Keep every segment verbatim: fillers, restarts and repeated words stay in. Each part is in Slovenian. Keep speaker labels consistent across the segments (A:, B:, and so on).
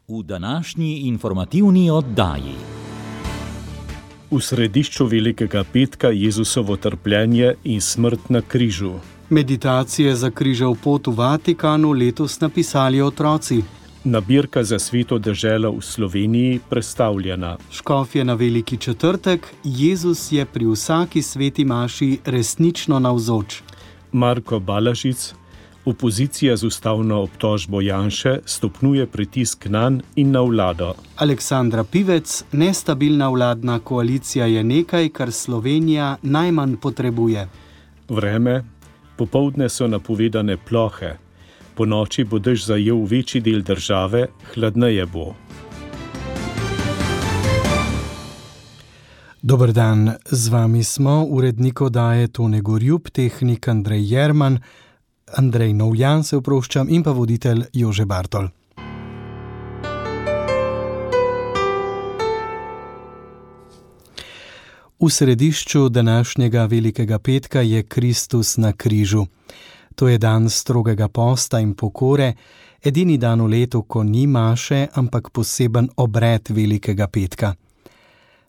A: v današnji informativni oddaji.
B: V središču Velikega petka Jezusovo trpljenje in smrt na križu.
C: Meditacije za križev pot v Vatikanu letos napisali otroci.
B: Nabirka za Sveto deželo v Sloveniji predstavljena.
C: Škofje na Veliki četrtek, Jezus je pri vsaki sveti maši resnično navzoč.
B: Marko Balažic, opozicija z ustavno obtožbo Janše stopnjuje pritisk nanj in na vlado.
C: Aleksandra Pivec, nestabilna vladna koalicija je nekaj, kar Slovenija najmanj potrebuje.
B: Vreme, popoldne so napovedane plohe. Po noči bo dež zajel večji del države, hladneje bo.
C: Dober dan, z vami smo, urednik oddaje Tone Gorjup, tehnik Andrej Jerman, Andrej Novjan se oproščam in pa voditelj Jože Bartol. V središču današnjega Velikega petka je Kristus na križu. To je dan strogega posta in pokore, edini dan v letu, ko ni maše, ampak poseben obred Velikega petka.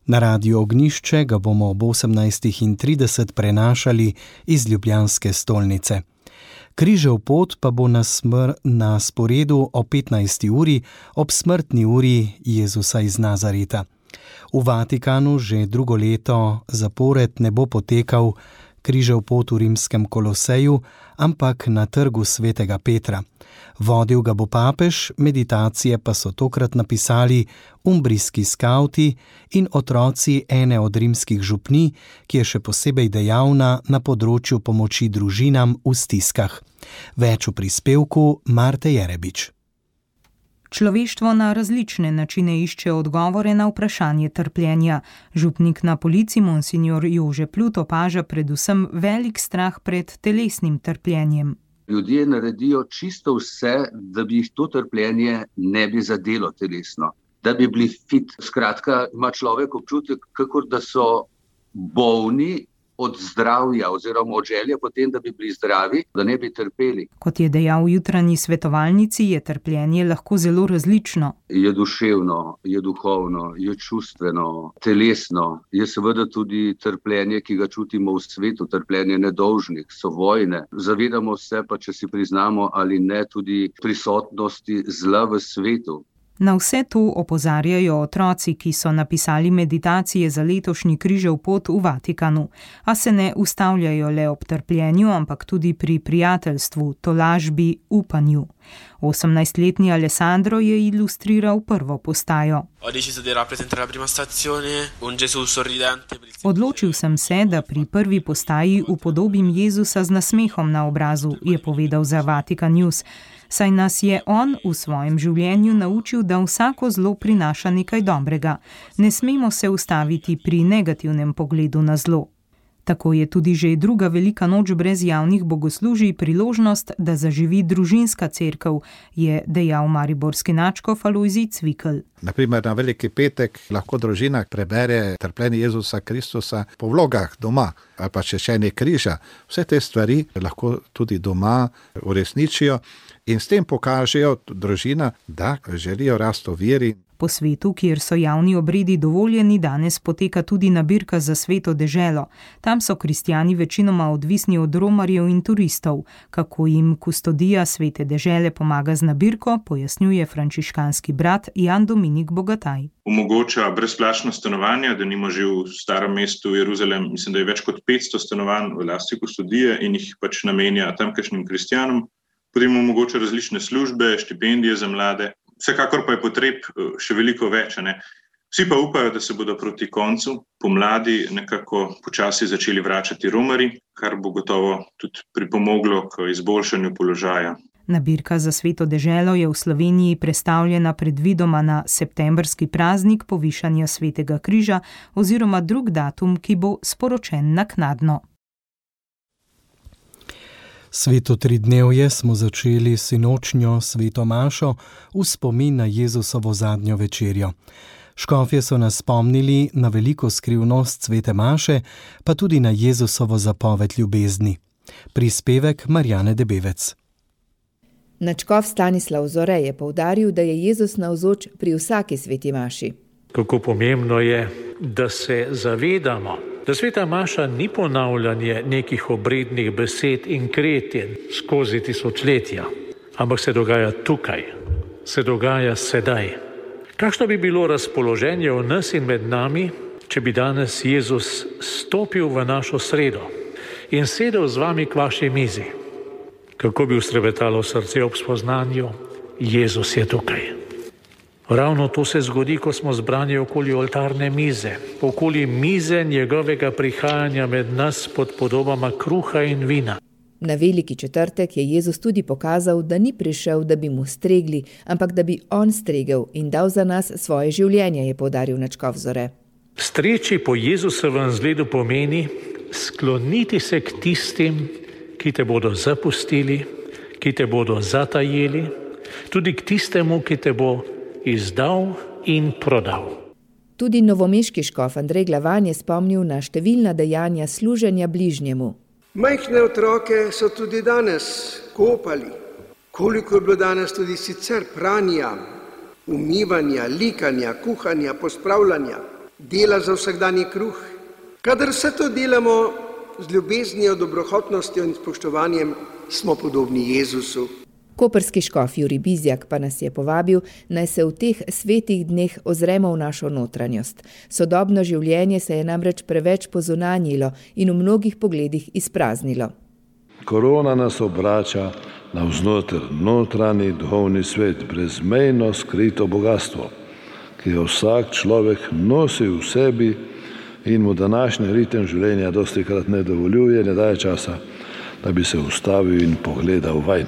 C: Na Radiu Ognjišče ga bomo ob osemnajstih trideset prenašali iz ljubljanske stolnice. Križev pot pa bo na, smr- na sporedu o petnajsti uri ob smrtni uri Jezusa iz Nazareta. V Vatikanu že drugo leto zapored ne bo potekal križev pot v rimskem Koloseju, ampak na trgu svetega Petra. Vodil ga bo papež, meditacije pa so tokrat napisali umbrijski skavti in otroci ene od rimskih župnij, ki je še posebej dejavna na področju pomoči družinam v stiskah. Več v prispevku Marte Jerebič.
D: Človeštvo na različne načine išče odgovore na vprašanje trpljenja. Župnik na Polici monsignor Jože Plut opaža predvsem velik strah pred telesnim trpljenjem.
E: Ljudje naredijo čisto vse, da bi jih to trpljenje ne bi zadelo telesno, da bi bili fit. Skratka, ima človek občutek, kakor da so bolni od zdravja oziroma od želje potem, da bi bili zdravi, da ne bi trpeli.
D: Kot je dejal v jutranji svetovalnici, je trpljenje lahko zelo različno.
E: Je duševno, je duhovno, je čustveno, telesno. Je seveda tudi trpljenje, ki ga čutimo v svetu, trpljenje nedolžnih, so vojne. Zavedamo se pa, če si priznamo ali ne, tudi prisotnosti zla v svetu.
D: Na vse to opozarjajo otroci, ki so napisali meditacije za letošnji križev pot v Vatikanu, a se ne ustavljajo le ob trpljenju, ampak tudi pri prijateljstvu, tolažbi, upanju. osemnajstletni Alessandro je ilustriral prvo postajo. Odločil sem se, da pri prvi postaji upodobim Jezusa z nasmehom na obrazu, je povedal za Vatikan News. Saj nas je on v svojem življenju naučil, da vsako zlo prinaša nekaj dobrega. Ne smemo se ustaviti pri negativnem pogledu na zlo. Tako je tudi že druga velika noč brez javnih bogoslužij priložnost, da zaživi družinska cerkev, je dejal mariborski nadškof Alojzij Cvikl.
F: Naprimer, na Veliki petek lahko družina prebere trpljenje Jezusa Kristusa po vlogah doma ali pa češenje križa. Vse te stvari lahko tudi doma uresničijo in s tem pokažejo družina, da želijo rasti v veri.
D: Po svetu, kjer so javni obredi dovoljeni, danes poteka tudi nabirka za Sveto deželo. Tam so kristjani večinoma odvisni od romarjev in turistov. Kako jim kustodija Svete dežele pomaga z nabirko, pojasnjuje frančiškanski brat Jan Dominik Bogataj.
G: Omogoča brezplačno stanovanje, da nimo že v starem mestu Jeruzalem, mislim, da je več kot petsto stanovanj v lasti kustodije in jih pač namenja tamkajšnjim kristjanom. Potem omogoča različne službe, štipendije za mlade. Vsekakor pa je potreb še veliko več. Ne? Vsi pa upajo, da se bodo proti koncu pomladi nekako počasi začeli vračati romarji, kar bo gotovo tudi pripomoglo k izboljšanju položaja.
D: Nabirka za Sveto deželo je v Sloveniji prestavljena predvidoma na septembrski praznik povišanja Svetega križa oziroma drug datum, ki bo sporočen naknadno.
C: Sveto tridnevje smo začeli sinočnjo sveto mašo v spomin na Jezusovo zadnjo večerjo. Škofje so nas spomnili na veliko skrivnost svete maše, pa tudi na Jezusovo zapoved ljubezni. Prispevek Marjane Debevec.
H: Nadškof Stanislav Zore je poudaril, da je Jezus navzoč pri vsaki sveti maši.
I: Kako pomembno je, da se zavedamo, da sveta maša ni ponavljanje nekih obrednih besed in kretenj skozi tisočletja, ampak se dogaja tukaj, se dogaja sedaj. Kakšno bi bilo razpoloženje v nas in med nami, če bi danes Jezus stopil v našo sredo in sedel z vami k vaši mizi? Kako bi ustrebetalo srce ob spoznanju, Jezus je tukaj. Ravno to se zgodi, ko smo zbrani okoli oltarne mize, okoli mize njegovega prihajanja med nas pod podobama kruha in vina.
H: Na veliki četrtek je Jezus tudi pokazal, da ni prišel, da bi mu stregli, ampak da bi on stregel in dal za nas svoje življenje, je poudaril nadškof Zore.
I: Streči po Jezusovem zgledu pomeni skloniti se k tistim, ki te bodo zapustili, ki te bodo zatajili, tudi k tistemu, ki te bo izdal in prodal.
H: Tudi novomeški škof Andrej Glavan je spomnil na številna dejanja služenja bližnjemu.
J: Majhne otroke so tudi danes kopali. Koliko je bilo danes tudi sicer pranja, umivanja, likanja, kuhanja, pospravljanja, dela za vsakdanji kruh. Kadar vse to delamo z ljubeznijo, dobrohotnostjo in spoštovanjem, smo podobni Jezusu.
H: Koprski škof Jurij Bizjak pa nas je povabil, naj se v teh svetih dneh ozremo v našo notranjost. Sodobno življenje se je namreč preveč pozunanjilo in v mnogih pogledih izpraznilo.
K: Korona nas obrača navznoter notranji duhovni svet, brezmejno skrito bogastvo, ki ga vsak človek nosi v sebi in mu današnji ritem življenja dostikrat ne dovoljuje, ne daje časa, da bi se ustavil in pogledal vanj.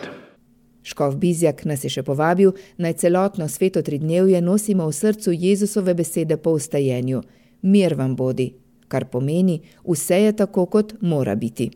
H: Škof Bizjak nas je še povabil, naj celotno sveto tridnevje nosimo v srcu Jezusove besede po vstajenju. Mir vam bodi, kar pomeni, vse je tako, kot mora biti.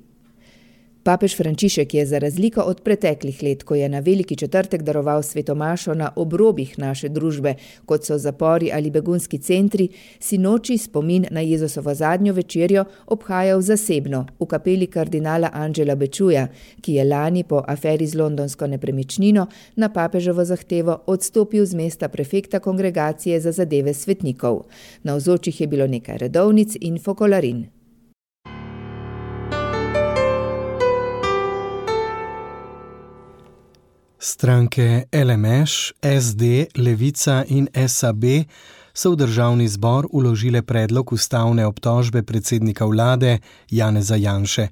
H: Papež Frančišek je za razliko od preteklih let, ko je na veliki četrtek daroval svetomašo na obrobih naše družbe, kot so zapori ali begunski centri, sinoči spomin na Jezusovo zadnjo večerjo obhajal zasebno v kapeli kardinala Angela Bečuja, ki je lani po aferi z londonsko nepremičnino na papeževo zahtevo odstopil z mesta prefekta kongregacije za zadeve svetnikov. Navzočih je bilo nekaj redovnic in fokolarin.
C: Stranke L M Š, S D, Levica in S A B so v državni zbor vložile predlog ustavne obtožbe predsednika vlade Janeza Janše.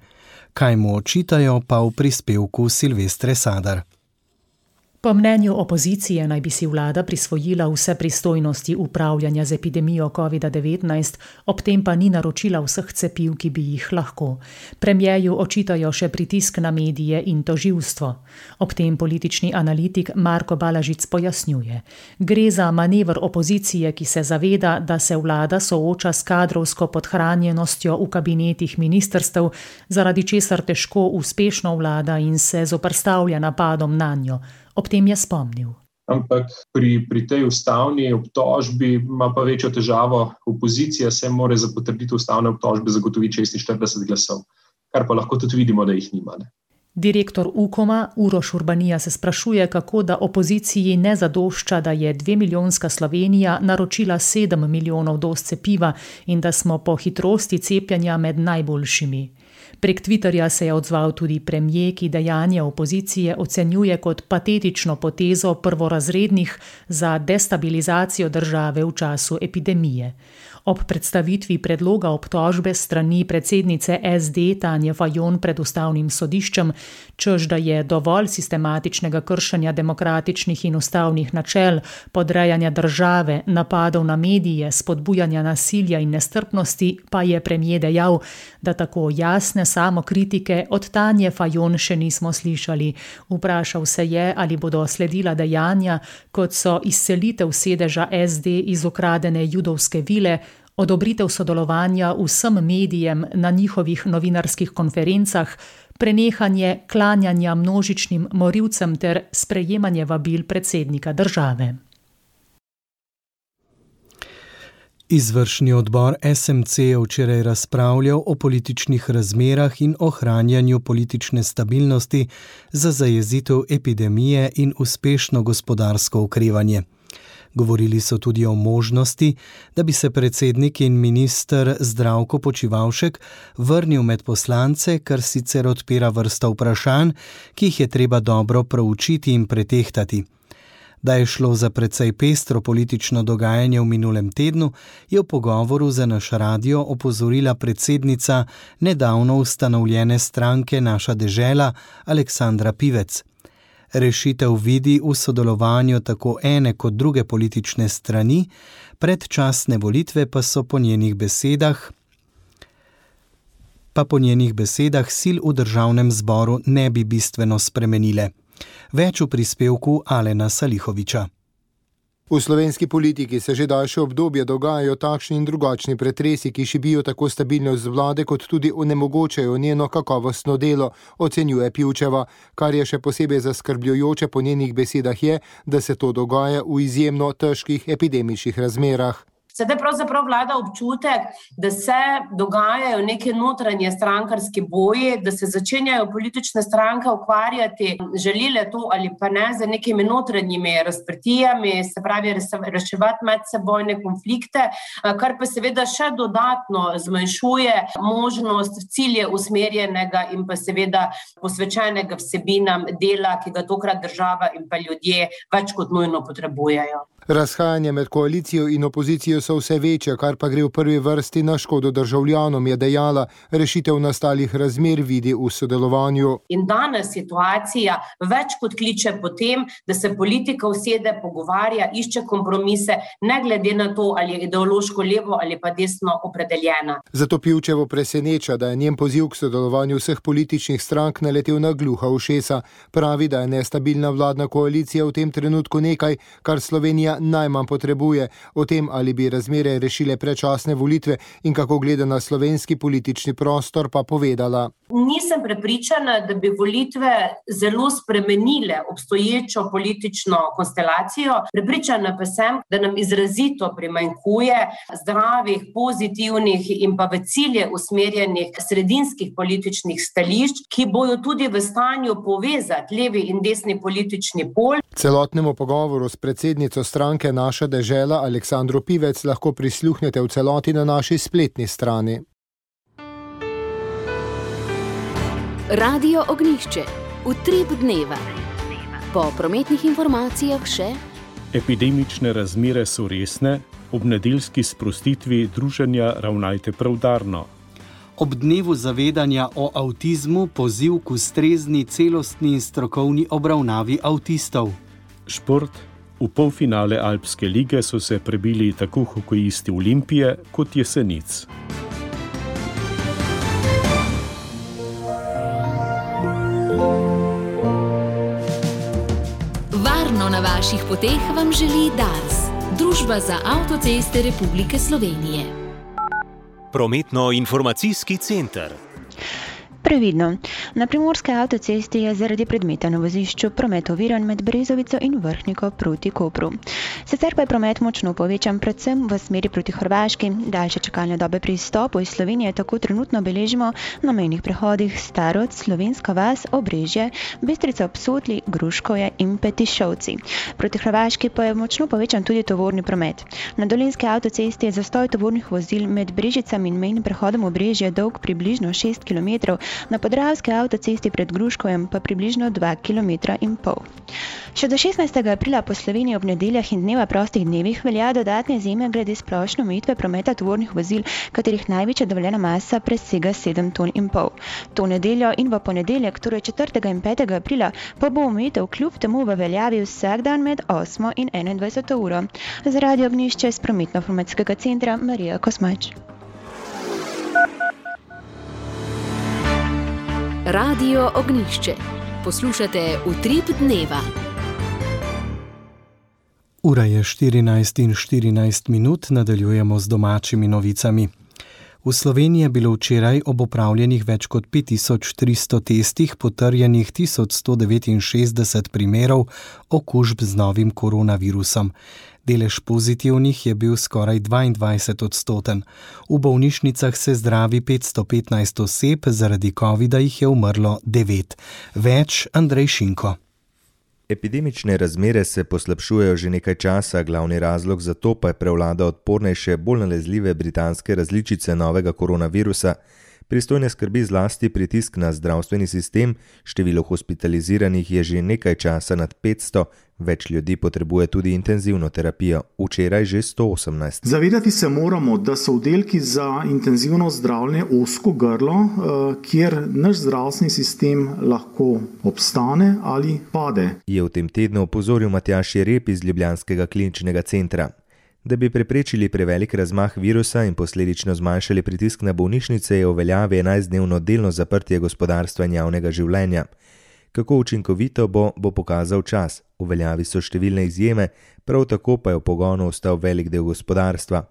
C: Kaj mu očitajo, pa v prispevku Silvestre Sadar.
L: Po mnenju opozicije naj bi si vlada prisvojila vse pristojnosti upravljanja z epidemijo kovida devetnajst, ob tem pa ni naročila vseh cepiv, ki bi jih lahko. Premierju očitajo še pritisk na medije in tožilstvo. Ob tem politični analitik Marko Balažic pojasnjuje. Gre za manever opozicije, ki se zaveda, da se vlada sooča s kadrovsko podhranjenostjo v kabinetih ministrstev, zaradi česar težko uspešno vlada in se zoperstavlja napadom nanjo. Ob tem je spomnil.
M: Ampak pri, pri tej ustavni obtožbi ima pa večjo težavo opozicija, se mora za potrditev ustavne obtožbe zagotoviti šestinštirideset glasov, kar pa lahko tudi vidimo, da jih nima. Ne?
L: Direktor Ukoma Uroš Urbanija se sprašuje, kako da opoziciji ne zadošča, da je dvemilijonska Slovenija naročila sedem milijonov doz cepiva in da smo po hitrosti cepljenja med najboljšimi. Prek Twitterja se je odzval tudi premier, ki dejanje opozicije ocenjuje kot patetično potezo prvorazrednih za destabilizacijo države v času epidemije. Ob predstavitvi predloga obtožbe strani predsednice S D Tanje Fajon pred ustavnim sodiščem, čež da je dovolj sistematičnega kršenja demokratičnih in ustavnih načel, podrejanja države, napadov na medije, spodbujanja nasilja in nestrpnosti, pa je premier dejal, da tako jasne samokritike od Tanje Fajon še nismo slišali. Vprašal se je, ali bodo sledila dejanja, kot so izselitev sedeža S D iz ukradene judovske vile, odobritev sodelovanja vsem medijem na njihovih novinarskih konferencah, prenehanje klanjanja množičnim morilcem ter sprejemanje vabil predsednika države.
C: Izvršni odbor S M C je včeraj razpravljal o političnih razmerah in ohranjanju politične stabilnosti za zajezitev epidemije in uspešno gospodarsko okrevanje. Govorili so tudi o možnosti, da bi se predsednik in minister Zdravko Počivalšek vrnil med poslance, kar sicer odpira vrsta vprašanj, ki jih je treba dobro proučiti in pretehtati. Da je šlo za precej pestro politično dogajanje v minulem tednu, je v pogovoru za naš radio opozorila predsednica nedavno ustanovljene stranke Naša dežela Aleksandra Pivec. Rešitev vidi v sodelovanju tako ene kot druge politične strani, predčasne volitve pa so po njenih besedah, pa po njenih besedah sil v državnem zboru ne bi bistveno spremenile. Več v prispevku Alena Salihoviča.
N: V slovenski politiki se že daljše obdobje dogajajo takšni in drugačni pretresi, ki šibijo tako stabilnost vlade, kot tudi onemogočajo njeno kakovostno delo, ocenjuje Pivčeva. Kar je še posebej zaskrbljujoče po njenih besedah je, da se to dogaja v izjemno težkih epidemičnih razmerah.
O: Sedaj pravzaprav vlada občutek, da se dogajajo neke notranje strankarske boji, da se začenjajo politične stranke ukvarjati, želile to ali pa ne, za nekimi notranjimi razprtijami, se pravi reševati medsebojne konflikte, kar pa seveda še dodatno zmanjšuje možnost cilje usmerjenega in pa seveda posvečenega vsebinam dela, ki ga tokrat država in pa ljudje več kot nujno potrebujejo.
N: Razhajanje med koalicijo in opozicijo so vse večje, kar pa gre v prvi vrsti na škodo državljanom, je dejala. Rešitev nastalih razmer vidi v sodelovanju.
O: In danes situacija več kot kliče po tem, da se politika usede, pogovarja, išče kompromise, ne glede na to, ali je ideološko levo ali pa desno opredeljena.
N: Zato Pivčevo preseneča, da je njen poziv k sodelovanju vseh političnih strank naletel na gluha ušesa. Pravi, da je nestabilna vladna koalicija v tem trenutku nekaj, kar Slovenija najmanj potrebuje. O tem, ali bi razmere rešile predčasne volitve in kako gleda na slovenski politični prostor, pa povedala.
O: Nisem prepričana, da bi volitve zelo spremenile obstoječo politično konstelacijo. Prepričana pa sem, da nam izrazito primanjkuje zdravih, pozitivnih in pa v cilje usmerjenih sredinskih političnih stališč, ki bojo tudi v stanju povezati levi in desni politični pol.
N: Celotnemu pogovoru s predsednico stranke Naša dežela Aleksandro Pivec lahko prisluhnete v celoti na naši spletni strani.
P: Radio Ognjišče, utrip dneva. Po prometnih informacijah še:
B: epidemične razmere so resne, ob nedeljski sprostitvi druženja ravnajte preudarno.
C: Ob dnevu zavedanja o avtizmu poziv k ustrezni, celostni in strokovni obravnavi avtistov.
B: Šport. V polfinale Alpske lige so se prebili tako hokejisti Olimpije kot Jesenic.
P: Varno na vaših poteh vam želi Dars, Družba za avtoceste Republike Slovenije.
A: Prometno-informacijski center.
Q: Previdno. Na primorske avtocesti je zaradi predmeta na vozišču promet oviran med Brezovico in Vrhniko proti Kopru. Sicer pa je promet močno povečan predvsem v smeri proti Hrvaški. Daljše čakalne dobe pri izstopu iz Slovenije tako trenutno beležimo na mejnih prehodih Starod, Slovenska vas, Obrežje, Bistrica ob Sotli, Gruškovje in Petišovci. Proti Hrvaški pa je močno povečan tudi tovorni promet. Na dolenjski avtocesti je zastoj tovornih vozil med Brežicami in mejnim prehodom Obrežje dolg približno šest kilometrov, na podravski avtocesti pred Gruškovjem pa približno dva kilometra in pol. Še do šestnajstega aprila po Sloveniji ob nedeljah in dneva prostih dnevih velja dodatne izjeme glede splošne omejitve prometa tovornih vozil, katerih največja dovoljena masa presega sedem ton in pol. To nedeljo in v ponedeljek, torej četrtega in petega aprila, pa bo omejitev kljub temu v veljavi vsak dan med osmo in enaindvajseto uro. Z Radio Ognjišče s prometno-informacijskega centra Marija Kosmač.
P: Radio Ognjišče. Poslušate Utrip dneva.
C: Ura je štirinajst in štirinajst minut, nadaljujemo z domačimi novicami. V Sloveniji je bilo včeraj ob opravljenih več kot pet tisoč tristo testih potrjenih tisoč sto devetinšestdeset primerov okužb z novim koronavirusom. Delež pozitivnih je bil skoraj dvaindvajset odstoten. V bolnišnicah se zdravi petsto petnajst oseb, zaradi covida jih je umrlo devet. Več Andrej Šinko.
R: Epidemične razmere se poslabšujejo že nekaj časa, glavni razlog za to pa je prevlada odpornejše, bolj nalezljive britanske različice novega koronavirusa. Pristojne skrbi zlasti pritisk na zdravstveni sistem, število hospitaliziranih je že nekaj časa nad petsto, več ljudi potrebuje tudi intenzivno terapijo, včeraj že sto osemnajst.
S: Zavedati se moramo, da so oddelki za intenzivno zdravljenje ozko grlo, kjer naš zdravstveni sistem lahko obstane ali pade.
R: Je v tem tednu opozoril Matjaž Jereb iz ljubljanskega kliničnega centra. Da bi preprečili prevelik razmah virusa in posledično zmanjšali pritisk na bolnišnice, je v veljavi enajstdnevno delno zaprtje gospodarstva in javnega življenja. Kako učinkovito bo, bo pokazal čas. V veljavi so številne izjeme, prav tako pa je v pogonu ostal velik del gospodarstva.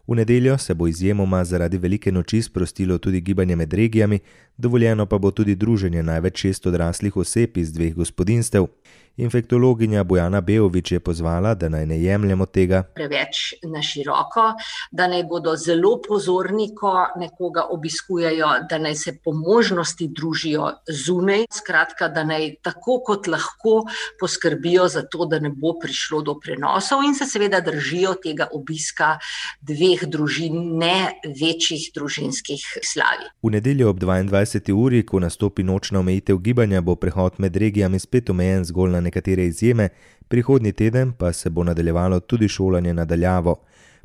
R: V nedeljo se bo izjemoma zaradi velike noči sprostilo tudi gibanje med regijami, dovoljeno pa bo tudi druženje največ šest odraslih oseb iz dveh gospodinjstev. Infektologinja Bojana Beovič je pozvala, da naj ne jemljemo tega
T: preveč na široko, da naj bodo zelo pozorni, ko nekoga obiskujejo, da naj se po možnosti družijo zunaj, skratka, da naj tako kot lahko poskrbijo za to, da ne bo prišlo do prenosov in se seveda držijo tega obiska dveh družin, ne večjih družinskih slavij.
R: V nedeljo ob dvaindvajseti uri, ko nastopi nočna omejitev gibanja, bo prehod med regijami spet omejen zgolj na nekatere izjeme, prihodnji teden pa se bo nadaljevalo tudi šolanje na daljavo.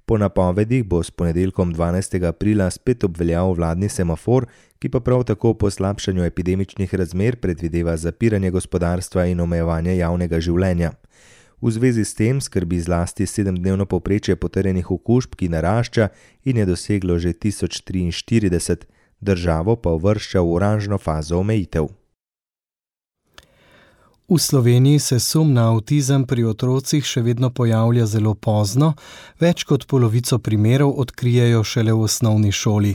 R: Po napovedih bo s ponedeljkom dvanajstega aprila spet obveljal vladni semafor, ki pa prav tako po slabšanju epidemičnih razmer predvideva zapiranje gospodarstva in omejevanje javnega življenja. V zvezi s tem skrbi zlasti sedemdnevno povprečje potrjenih okužb, ki narašča in je doseglo že tisoč triinštirideset, državo pa uvršča v oranžno fazo omejitev.
C: V Sloveniji se sum na avtizem pri otrocih še vedno pojavlja zelo pozno, več kot polovico primerov odkrijejo šele v osnovni šoli.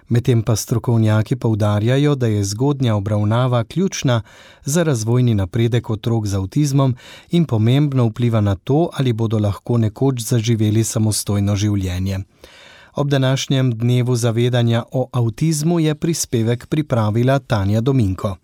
C: Medtem pa strokovnjaki poudarjajo, da je zgodnja obravnava ključna za razvojni napredek otrok z avtizmom in pomembno vpliva na to, ali bodo lahko nekoč zaživeli samostojno življenje. Ob današnjem dnevu zavedanja o avtizmu je prispevek pripravila Tanja Dominko.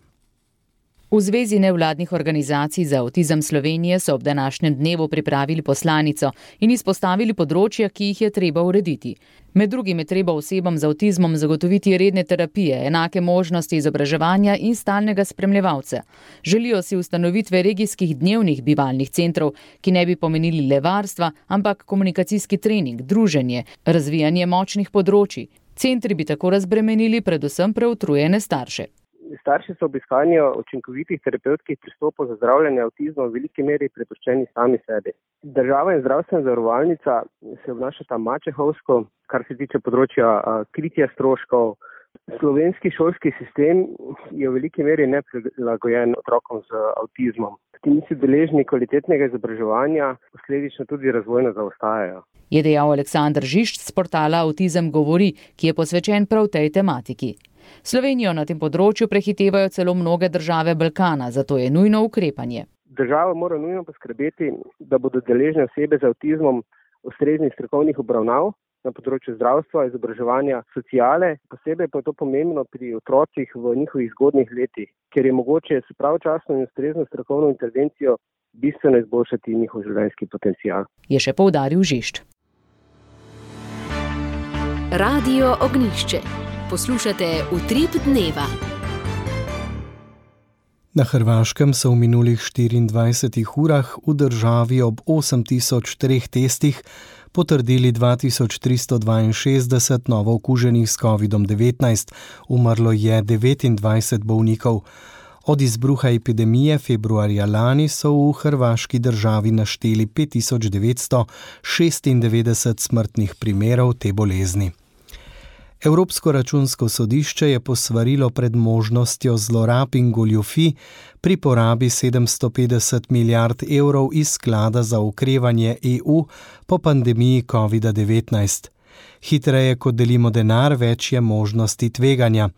U: V Zvezi nevladnih organizacij za avtizem Slovenije so ob današnjem dnevu pripravili poslanico in izpostavili področja, ki jih je treba urediti. Med drugim je treba osebam z avtizmom zagotoviti redne terapije, enake možnosti izobraževanja in stalnega spremljevalca. Želijo si ustanovitve regijskih dnevnih bivalnih centrov, ki ne bi pomenili le varstva, ampak komunikacijski trening, druženje, razvijanje močnih področij. Centri bi tako razbremenili predvsem preutrujene starše.
V: Starši so ob iskanju učinkovitih terapevtskih pristopov za zdravljenje avtizma v veliki meri prepuščeni sami sebi. Država in zdravstvena zavarovalnica se obnašata mačehovsko, kar se tiče področja kritja stroškov. Slovenski šolski sistem je v veliki meri neprilagojen otrokom z avtizmom. Ti niso deležni kvalitetnega izobraževanja, posledično tudi razvojno zaostajajo.
U: Je dejal Aleksander Žišč z portala Avtizem govori, ki je posvečen prav tej tematiki. Slovenijo na tem področju prehitevajo celo mnoge države Balkana, zato je nujno ukrepanje.
V: Država mora nujno poskrbeti, da bodo deležne osebe z avtizmom ustreznih strokovnih obravnav na področju zdravstva, izobraževanja, sociale. Posebej pa je to pomembno pri otrocih v njihovih zgodnjih letih, ker je mogoče s pravočasno in ustrezno strokovno intervencijo bistveno izboljšati njihov življenjski potencial.
U: Je še poudaril Žišč.
P: Radio Ognjišče. Poslušate Utrip dneva.
C: Na Hrvaškem so v minulih štiriindvajsetih urah v državi ob osem tisoč treh testih potrdili dva tisoč tristo dvainšestdeset novo okuženih s kovidom devetnajst, umrlo je devetindvajset bolnikov. Od izbruha epidemije februarja lani so v hrvaški državi našteli pet tisoč devetsto šestindevetdeset smrtnih primerov te bolezni. Evropsko računsko sodišče je posvarilo pred možnostjo zlorab in goljufij pri porabi sedemsto petdeset milijard evrov iz sklada za okrevanje E U po pandemiji kovida devetnajst. Hitreje, kot delimo denar, več je možnosti tveganja.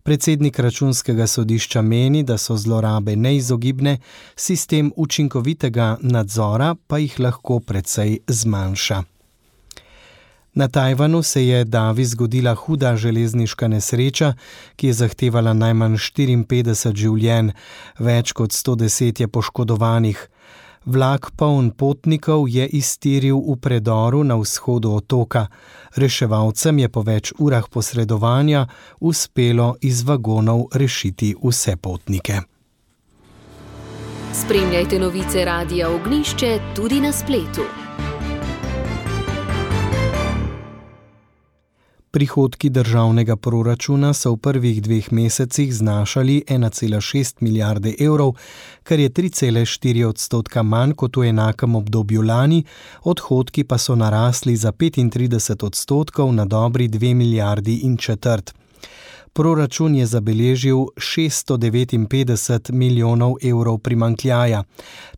C: Predsednik računskega sodišča meni, da so zlorabe neizogibne, sistem učinkovitega nadzora pa jih lahko precej zmanjša. Na Tajvanu se je davi zgodila huda železniška nesreča, ki je zahtevala najmanj štiriinpetdeset življenj, več kot sto deset je poškodovanih. Vlak poln potnikov je iztiril v predoru na vzhodu otoka. Reševalcem je po več urah posredovanja uspelo iz vagonov rešiti vse potnike.
P: Spremljajte novice Radia Ognjišče tudi na spletu.
C: Prihodki državnega proračuna so v prvih dveh mesecih znašali ena cela šest milijarde evrov, kar je tri cele štiri odstotka manj kot v enakem obdobju lani, odhodki pa so narasli za petintrideset odstotkov na dobri dve milijardi in četrt. Proračun je zabeležil šeststo devetinpetdeset milijonov evrov primanjkljaja.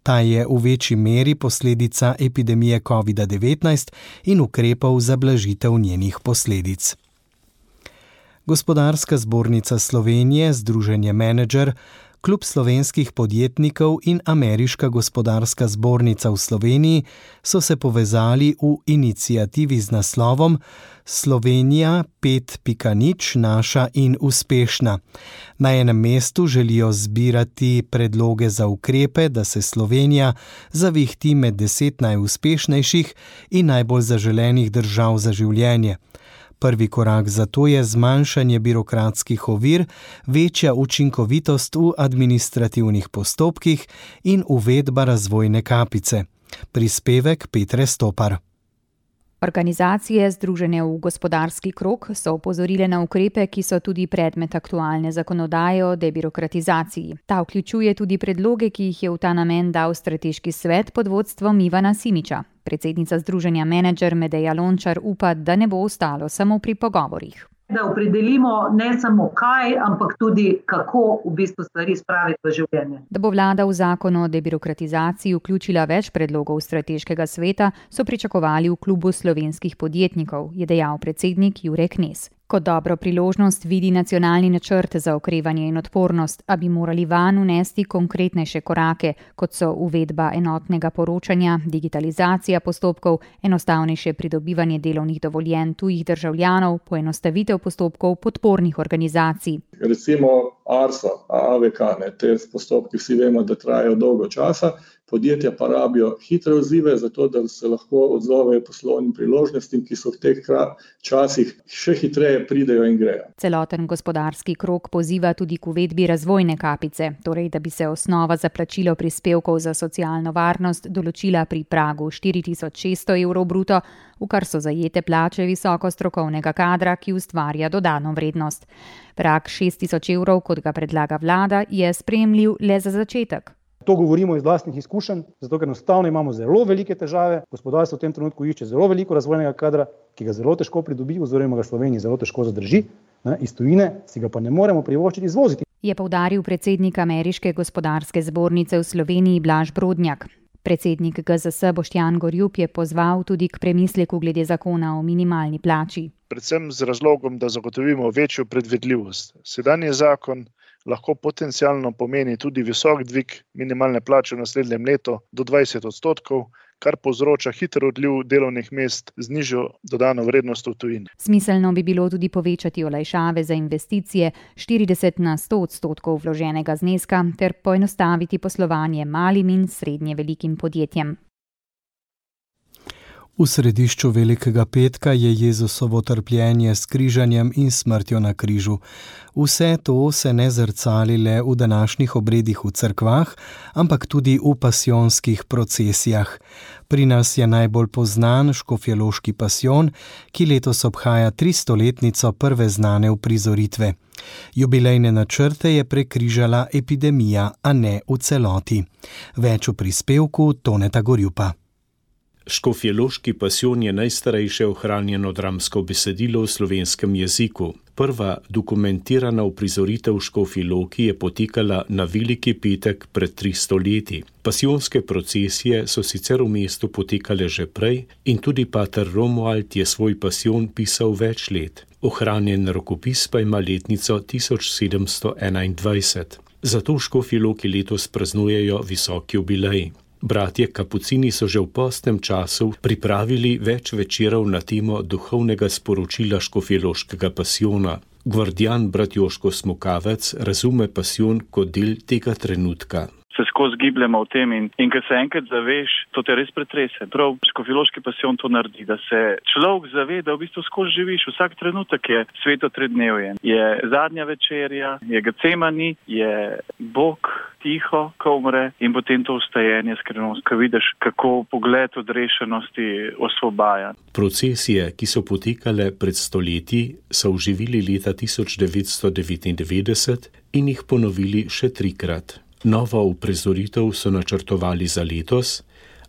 C: Ta je v večji meri posledica epidemije covida devetnajst in ukrepov za blažitev njenih posledic. Gospodarska zbornica Slovenije, Združenje Menedžer, Klub slovenskih podjetnikov in Ameriška gospodarska zbornica v Sloveniji so se povezali v iniciativi z naslovom Slovenija pet pika nič naša in uspešna. Na enem mestu želijo zbirati predloge za ukrepe, da se Slovenija zavihti med deset najuspešnejših in najbolj zaželenih držav za življenje. Prvi korak za to je zmanjšanje birokratskih ovir, večja učinkovitost v administrativnih postopkih in uvedba razvojne kapice. Prispevek Petre Stopar.
E: Organizacije, združene v gospodarski krog, so opozorile na ukrepe, ki so tudi predmet aktualne zakonodaje o debirokratizaciji. Ta vključuje tudi predloge, ki jih je v ta namen dal strateški svet pod vodstvom Ivana Simiča. Predsednica Združenja Menedžer Medeja Lončar upa, da ne bo ostalo samo pri pogovorih.
F: Da opredelimo ne samo kaj, ampak tudi kako v bistvu stvari spraviti v življenje.
E: Da bo vlada v zakon o debirokratizaciji vključila več predlogov strateškega sveta, so pričakovali v klubu slovenskih podjetnikov, je dejal predsednik Jure Knez. Kot dobro priložnost vidi nacionalni načrt za okrevanje in odpornost, a bi morali vanj unesti konkretnejše korake, kot so uvedba enotnega poročanja, digitalizacija postopkov, enostavnejše pridobivanje delovnih dovoljenj tujih državljanov, poenostavitev postopkov podpornih organizacij.
W: Recimo ARSO, A V K, ne, te postopki vsi vemo, da trajajo dolgo časa, podjetja pa rabijo hitre odzive, zato da se lahko odzovejo poslovnim priložnostim, ki so v teh časih še hitreje pridejo in grejo.
E: Celoten gospodarski krog poziva tudi k uvedbi razvojne kapice, torej da bi se osnova za plačilo prispevkov za socialno varnost določila pri pragu štiri tisoč šeststo evrov bruto, v kar so zajete plače visoko strokovnega kadra, ki ustvarja dodano vrednost. Prag šest tisoč evrov, kot ga predlaga vlada, je sprejemljiv le za začetek.
X: To govorimo iz vlastnih izkušenj, zato ker enostavno imamo zelo velike težave. Gospodarstvo v tem trenutku išče zelo veliko razvojnega kadra, ki ga zelo težko pridobi, oziroma ga Sloveniji zelo težko zadrži. Ne, iz tujine si ga pa ne moremo privoščiti izvoziti.
E: Je poudaril predsednik Ameriške gospodarske zbornice v Sloveniji Blaž Brodnjak. Predsednik G Z S Boštjan Gorjup je pozval tudi k premisleku glede zakona o minimalni plači.
Y: Predvsem z razlogom, da zagotovimo večjo predvidljivost. Sedanji zakon lahko potencialno pomeni tudi visok dvig minimalne plače v naslednjem letu do dvajset odstotkov, kar povzroča hiter odliv delovnih mest z nižjo dodano vrednostjo v tujini.
E: Smiselno bi bilo tudi povečati olajšave za investicije štirideset na sto odstotkov vloženega zneska ter poenostaviti poslovanje malim in srednje velikim podjetjem.
C: V središču Velikega petka je Jezusovo trpljenje s križanjem in smrtjo na križu. Vse to se ne zrcali le v današnjih obredih v cerkvah, ampak tudi v pasijonskih procesijah. Pri nas je najbolj poznan škofjeloški pasijon, ki letos obhaja tristoletnico prve znane uprizoritve. Jubilejne načrte je prekrižala epidemija, a ne v celoti. Več v prispevku Toneta Gorjupa.
B: Škofjeloški pasijon je najstarejše ohranjeno dramsko besedilo v slovenskem jeziku. Prva dokumentirana uprizoritev v Škofji Loki je potekala na Veliki petek pred tristo leti. Pasijonske procesije so sicer v mestu potekale že prej in tudi pater Romuald je svoj pasijon pisal več let. Ohranjen rokopis pa ima letnico tisoč sedemsto enaindvajset. Zato v Škofji Loki letos praznujejo visoki jubilej. Bratje kapucini so že v postnem času pripravili več večerov na temo duhovnega sporočila škofjeloškega pasijona. Gvardijan brat Joško Smukavec razume pasijon kot del tega trenutka.
D: Se skozi gibljamo v tem in, in ko se enkrat zaveš, to te res pretrese. Prav škofjeloški pasijon to naredi, da se človek zave, da v bistvu skozi živiš. Vsak trenutek je sveto tridnevje. Je zadnja večerja, je Gecemani, je Bog tiho, ko umre in potem to vstajenje skrivnost, ko vidiš, kako pogled odrešenosti osvobaja.
B: Procesije, ki so potekale pred stoletji, so oživili leta tisoč devetsto devetindevetdeset in jih ponovili še trikrat. Novo uprizoritev so načrtovali za letos,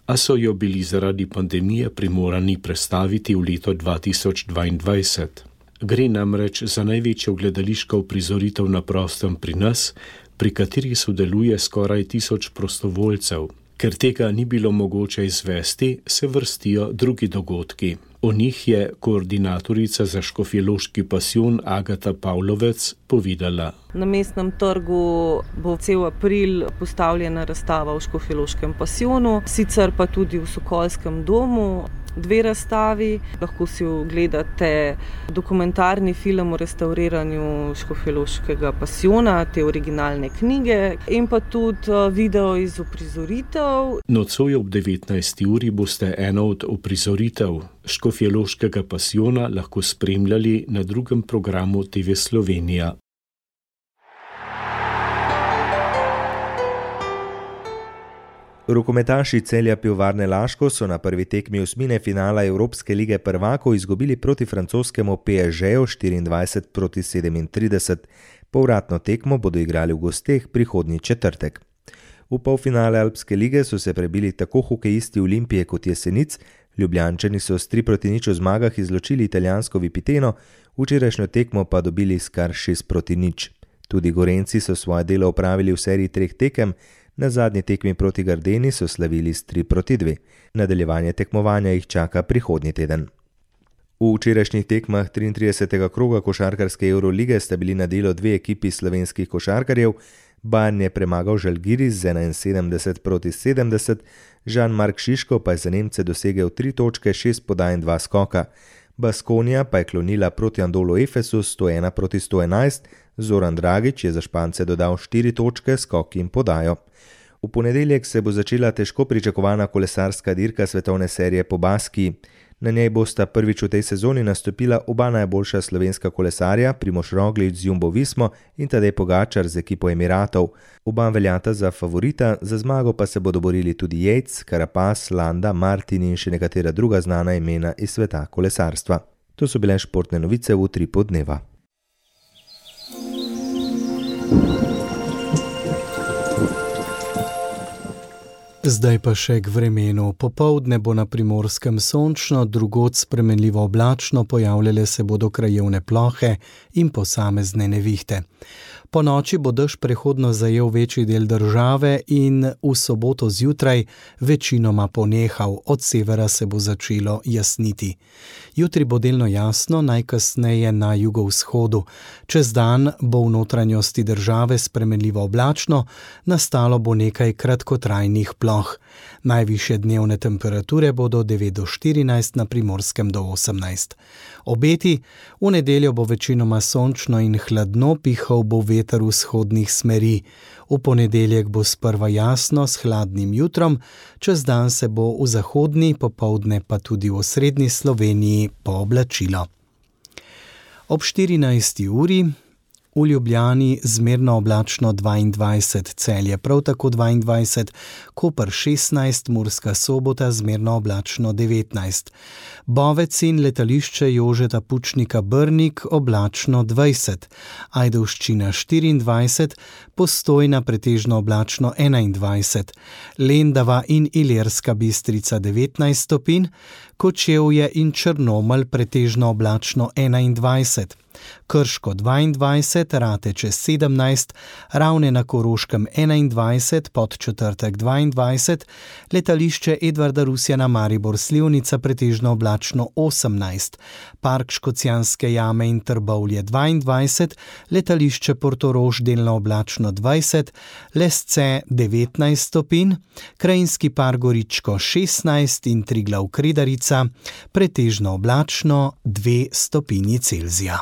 B: a so jo bili zaradi pandemije primorani prestaviti v leto dva tisoč dvaindvajset. Gre namreč za največjo gledališko uprizoritev na prostem pri nas, pri kateri sodeluje skoraj tisoč prostovoljcev. Ker tega ni bilo mogoče izvesti, se vrstijo drugi dogodki. O njih je koordinatorica za škofjeloški pasijon Agata Pavlovec povedala.
G: Na mestnem trgu bo cel april postavljena razstava v škofjeloškem pasijonu, sicer pa tudi v Sokolskem domu. Dve razstavi, lahko si ogledate dokumentarni film o restauriranju škofjeloškega pasijona, te originalne knjige in pa tudi video iz uprizoritev.
B: Nocoj ob devetnajsti uri boste eno od uprizoritev škofjeloškega pasijona lahko spremljali na drugem programu T V Slovenija.
R: Rokometaši Celja Pivovarne Laško so na prvi tekmi osmine finala Evropske lige prvakov izgubili proti francoskemu P S G-ju štiriindvajset proti sedemintrideset. Povratno tekmo bodo igrali v gosteh prihodnji četrtek. V polfinale Alpske lige so se prebili tako hokejisti Olimpije kot Jesenic, Ljubljančani so s tri proti nič v zmagah izločili italijansko Vipiteno, včerajšnjo tekmo pa dobili s kar šest proti nič. Tudi Gorenci so svoje delo opravili v seriji treh tekem, na zadnji tekmi proti Gardeni so slavili s tri proti dve. Nadaljevanje tekmovanja jih čaka prihodnji teden. V včerajšnjih tekmah triintridesetega kroga košarkarske Eurolige sta bili na delo dve ekipi slovenskih košarkarjev. Bayern je premagal Žalgiris z enainsedemdeset proti sedemdeset, Jean-Marc Šiško pa je za Nemce dosegel tri točke, šest podaj in dva skoka. Baskonija pa je klonila proti Andolu Efesu sto ena proti sto enajst, Zoran Dragić je za Špance dodal štiri točke, skok in podajo. V ponedeljek se bo začela težko pričakovana kolesarska dirka svetovne serije po Baskiji. Na njej bosta prvič v tej sezoni nastopila oba najboljša slovenska kolesarja, Primož Roglič z Jumbo Vismo in Tadej Pogačar z ekipo Emiratov. Oba veljata za favorita, za zmago pa se bodo borili tudi Yates, Carapaz, Landa, Martin in še nekatera druga znana imena iz sveta kolesarstva. To so bile športne novice v Utripu dneva.
C: Zdaj pa še k vremenu. Popoldne bo na Primorskem sončno, drugod spremenljivo oblačno, pojavljale se bodo krajevne plohe in posamezne nevihte. Po noči bo dež prehodno zajel večji del države in v soboto zjutraj večinoma ponehal, od severa se bo začelo jasniti. Jutri bo delno jasno, najkasneje na jugovzhodu. Čez dan bo v notranjosti države spremenljivo oblačno, nastalo bo nekaj kratkotrajnih ploh. Najvišje dnevne temperature bodo devet do štirinajst, na Primorskem do osemnajst. Obeti: v nedeljo bo večinoma sončno in hladno, pihal bo veter vzhodnih smeri. V ponedeljek bo sprva jasno s hladnim jutrom, čez dan se bo v zahodni, popoldne pa tudi v osrednji Sloveniji pooblačilo. Ob štirinajsti uri v Ljubljani zmerno oblačno dvaindvajset, Celje prav tako dvaindvajset, Koper šestnajst, Murska Sobota zmerno oblačno devetnajst, Bovec in letališče Jožeta Pučnika Brnik oblačno dvajset, Ajdovščina štiriindvajset, Postojna pretežno oblačno enaindvajset, Lendava in Ilirska Bistrica devetnajst stopinj, Kočevje in Črnomelj pretežno oblačno enaindvajset, Krško dvaindvajset, Rateče sedemnajst, Ravne na Koroškem enaindvajset, Podčetrtek dvaindvajset, letališče Edvarda Rusjana Maribor Slivnica pretežno oblačno osemnajst, Park Škocjanske jame in Trbovlje dvaindvajset, letališče Portorož delno oblačno dvajset, Lesce devetnajst stopinj, Krajinski park Goričko šestnajst in Triglav Kredarica pretežno oblačno dve stopinji Celzija.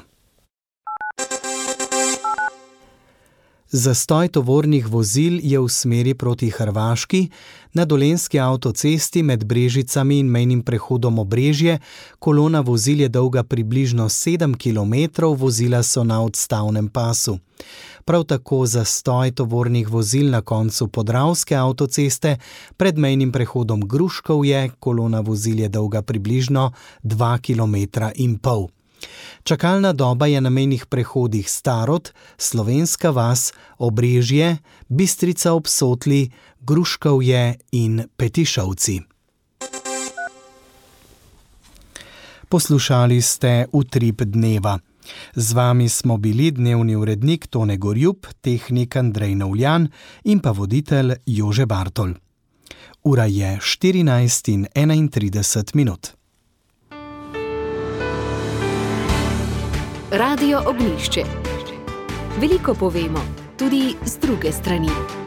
C: Zastoj tovornih vozil je v smeri proti Hrvaški, na Dolenjski avtocesti med Brežicami in mejnim prehodom Obrežje. Kolona vozil je dolga približno sedem kilometrov, vozila so na odstavnem pasu. Prav tako zastoj tovornih vozil na koncu Podravske avtoceste pred mejnim prehodom Gruškovje, kolona vozil je dolga približno dva kilometra in pol. Čakalna doba je na mejnih prehodih Starod, Slovenska vas, Obrežje, Bistrica ob Sotli, Gruškovje in Petišovci. Poslušali ste Utrip dneva. Z vami smo bili dnevni urednik Tone Gorjup, tehnik Andrej Novljan in pa voditelj Jože Bartol. Ura je štirinajst in enaintrideset minut.
P: Radio Ognjišče. Veliko povemo, tudi z druge strani.